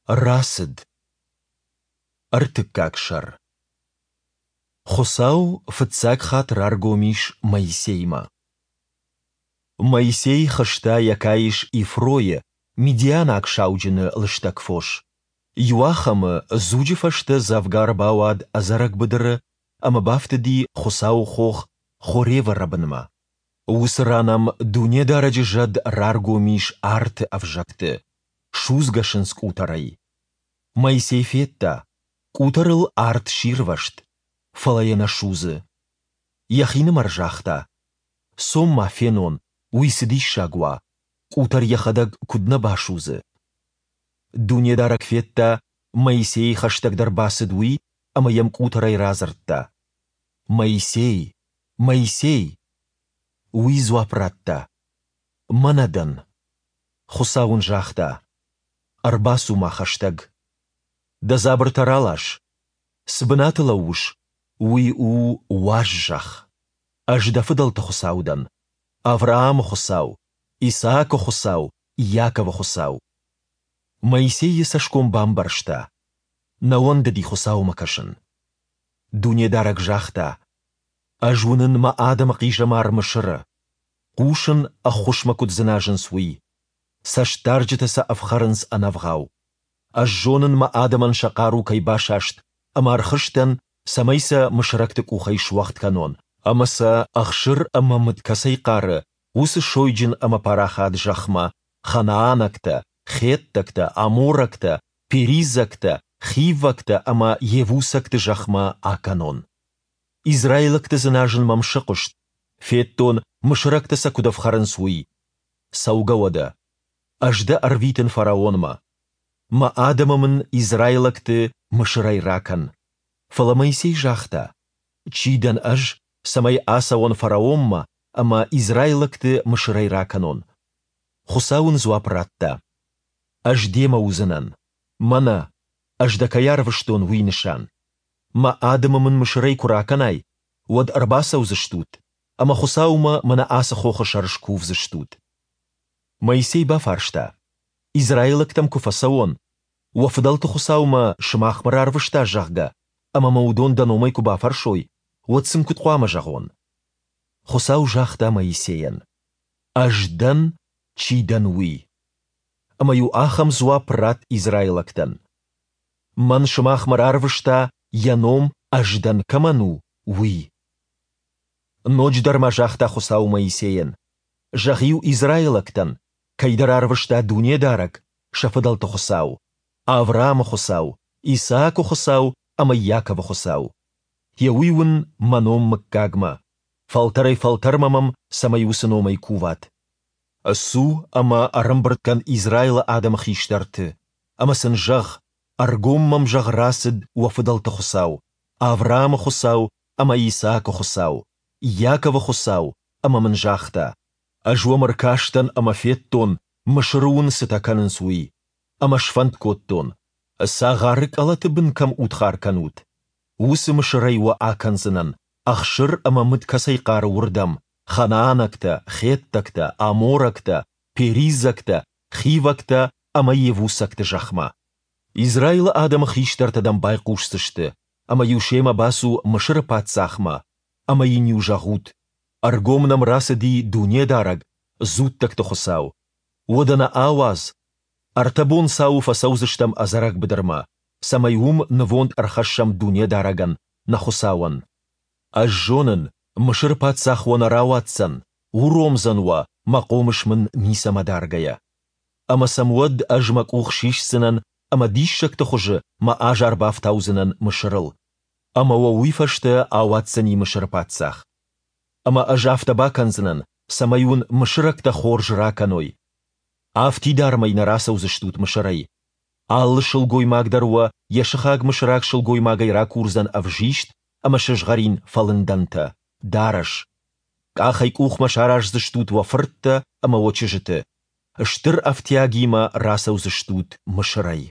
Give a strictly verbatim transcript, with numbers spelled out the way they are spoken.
Рацыд. Ӕртыккаг сӕр. Хуыцау фыццаг хатт раргом ис Моисеймӕ. Моисей хызта йӕ каис Ифройы, мидианаг сауджыны, лыстӕг фос. Иуахӕмы дзуджы фӕстӕ дзӕвгар бауад ӕдзӕрӕг быдыры ӕмӕ бафтыди Хуыцауы хох Хоревы рӕбынмӕ. Уыцы ран ӕм Дунедарӕджы зӕд раргом ис арты ӕвзӕгты, судзгӕ сындзкъутӕрӕй. Моисей федта, къутӕрыл арт сирвӕзт, фӕлӕ йӕ нӕ судзы. Йӕхинымӕр загъта: Цом-ма фенон, уый цы диссаг уа, къутӕр йӕхӕдӕг куыд нӕ басудзы. Дунедарӕг федта, Моисей хӕстӕгдӕр бацыд, уый ӕмӕ йӕм къутӕрӕй радзырдта: Моисей! Моисей! Уый дзуапп радта: Мӕнӕ дӕн. Хуыцау ын загъта: Ӕрбацу-ма хӕстӕг. Дӕ дзабыртӕ ралас. Цы бынаты лӕууыс, уый у уаз зӕхх. Ӕз дӕ фыдӕлты Хуыцау дӕн, Авраамы Хуыцау, Исаакы Хуыцау, Иаковы Хуыцау. Моисей йӕ цӕсгом бамбӕрзта. Нӕ уӕндыди Хуыцаумӕ кӕсын. Дунедарӕг загъта: Ӕз уынын мӕ адӕмы хъизӕмар Мысыры. Хъусын, ӕххуысмӕ куыд дзыназынц, уый. Цӕстдарджытӕ сӕ ӕфхӕрынц ӕнӕвгъау. Ӕз зонын, мӕ адӕмӕн сӕ хъару кӕй басаст, ӕмӕ ӕрхызтӕн, цӕмӕй сӕ мысырӕгты къухӕй суӕгъд кӕнон, ӕмӕ сӕ, ӕхсыр ӕмӕ мыд кӕцӕй хъары, уыцы сойджын ӕмӕ парахат зӕхмӕ, ханаанӕгтӕ, хеттӕгтӕ, аморӕгтӕ, перизӕгтӕ, хиввӕгтӕ ӕмӕ йевусӕгты зӕхмӕ акӕнон. Израилӕгты дзыназын мӕм сыхъуыст, федтон, мысырӕгтӕ сӕ куыд ӕфхӕрынц, уый. Цӕугӕ уӕдӕ. Ӕз дӕ ӕрвитын фараонмӕ. Мӕ адӕмы мын, израилӕгты, Мысырӕй ракӕн. Фӕлӕ Моисей загъта: Чи дӕн ӕз, цӕмӕй ацӕуон фараонмӕ ӕмӕ израилӕгты Мысырӕй ракӕнон? Хуыцау ын дзуапп радта: Ӕз демӕ уыдзынӕн. Мӕнӕ, ӕз дӕ кӕй арвыстон, уый нысан. Мӕ адӕмы мын Мысырӕй куы ракӕнай, уӕд ӕрбацӕудзыстут, ӕмӕ Хуыцаумӕ мӕнӕ ацы хохы сӕр скувдзыстут. Моисей бафарста: Израилӕгтӕм куы фӕцӕуон, уӕ фыдӕлты Хуыцау мӕ сымахмӕ рарвыста, зӕгъгӕ, ӕмӕ мӕ уыдон дӕ номӕй куы бафӕрсой, уӕд сын куыд хъуамӕ зӕгъон? Хуыцау загъта Моисейӕн: Ӕз дӕн, чи дӕн, уый. Ӕмӕ-иу ахӕм дзуапп ратт израилӕгтӕн: Мӕн сымахмӕ рарвыста, йӕ ном Ӕз дӕн кӕмӕн у, уый. Ноджыдӕр ма загъта Хуыцау Моисейӕн: Зӕгъ-иу израилӕгтӕн, кӕй дӕ рарвыста Дунедарӕг, сӕ фыдӕлты Хуыцау, Авраамы Хуыцау, Исаакы Хуыцау ӕмӕ Иаковы Хуыцау. Гъе уый уын мӕ ном мыггагмӕ, фӕлтӕрӕй-фӕлтӕрмӕ мӕм цӕмӕй уыцы номӕй куват. Цу ӕмӕ ӕрӕмбырд кӕн Израилы адӕмы хистӕрты, ӕмӕ сын зӕгъ, ӕргом мӕм, зӕгъ, рацыд уӕ фыдӕлты Хуыцау, Авраамы Хуыцау ӕмӕ Исаакы Хуыцау, Иаковы Хуыцау, ӕмӕ мын загъта: Ӕз уӕм ӕркастӕн ӕмӕ федтон, Мысыры уын цытӕ кӕнынц, уый. Ӕмӕ сфӕнд кодтон, цагъары къӕлӕты бын кӕм удхар кӕнут, уыцы Мысырӕй уӕ акӕндзынӕн, ӕхсыр ӕмӕ мыд кӕцӕй хъары, уырдӕм, ханаанӕгтӕ, хеттӕгтӕ, аморӕгтӕ, перизӕгтӕ, хивӕгтӕ ӕмӕ йевусӕгты зӕхмӕ. Израилы адӕмы хистӕртӕ дӕм байхъусдзысты, ӕмӕ-иу семӕ бацу Мысыры паддзахмӕ, ӕмӕ йын-иу зӕгъут: Ӕргом нӕм рацыди Дунедарӕг, дзуттӕгты Хуыцау. Уӕдӕ нӕ ауадз, ӕртӕ бонцауы фӕцӕудзыстӕм ӕдзӕрӕг быдырмӕ, цӕмӕй уым нывонд ӕрхӕссӕм Дунедарӕгӕн, нӕ Хуыцауӕн. Ӕз зонын, Мысыры паддзах уӕ нӕ рауадздзӕн, уромдзӕн уӕ, мӕ хъомыс мын ницӕмӕ даргӕйӕ. Ӕмӕ сӕм уӕд ӕз мӕ къух сисдзынӕн ӕмӕ диссӕгты хуызы мӕ азар бафтаудзынӕн Мысырыл. Ӕмӕ уӕ уый фӕстӕ ауадздзӕни Мысыры паддзах. Ӕмӕ ӕз афтӕ бакӕндзынӕн, цӕмӕй уын мысырӕгтӕ хорз ракӕной. Афтидармӕй нӕ рацӕудзыстут Мысырӕй. Алы сылгоймаг дӕр уӕ йӕ сыхаг мысыраг сылгоймагӕй ракурдзӕн ӕвзист ӕмӕ сызгъӕрин фӕлындӕнтӕ, дарӕс. Къахӕй-къухмӕ сараздзыстут уӕ фырттӕ ӕмӕ уӕ чызджыты. Стыр ӕфтиагимӕ рацӕудзыстут Мысырӕй.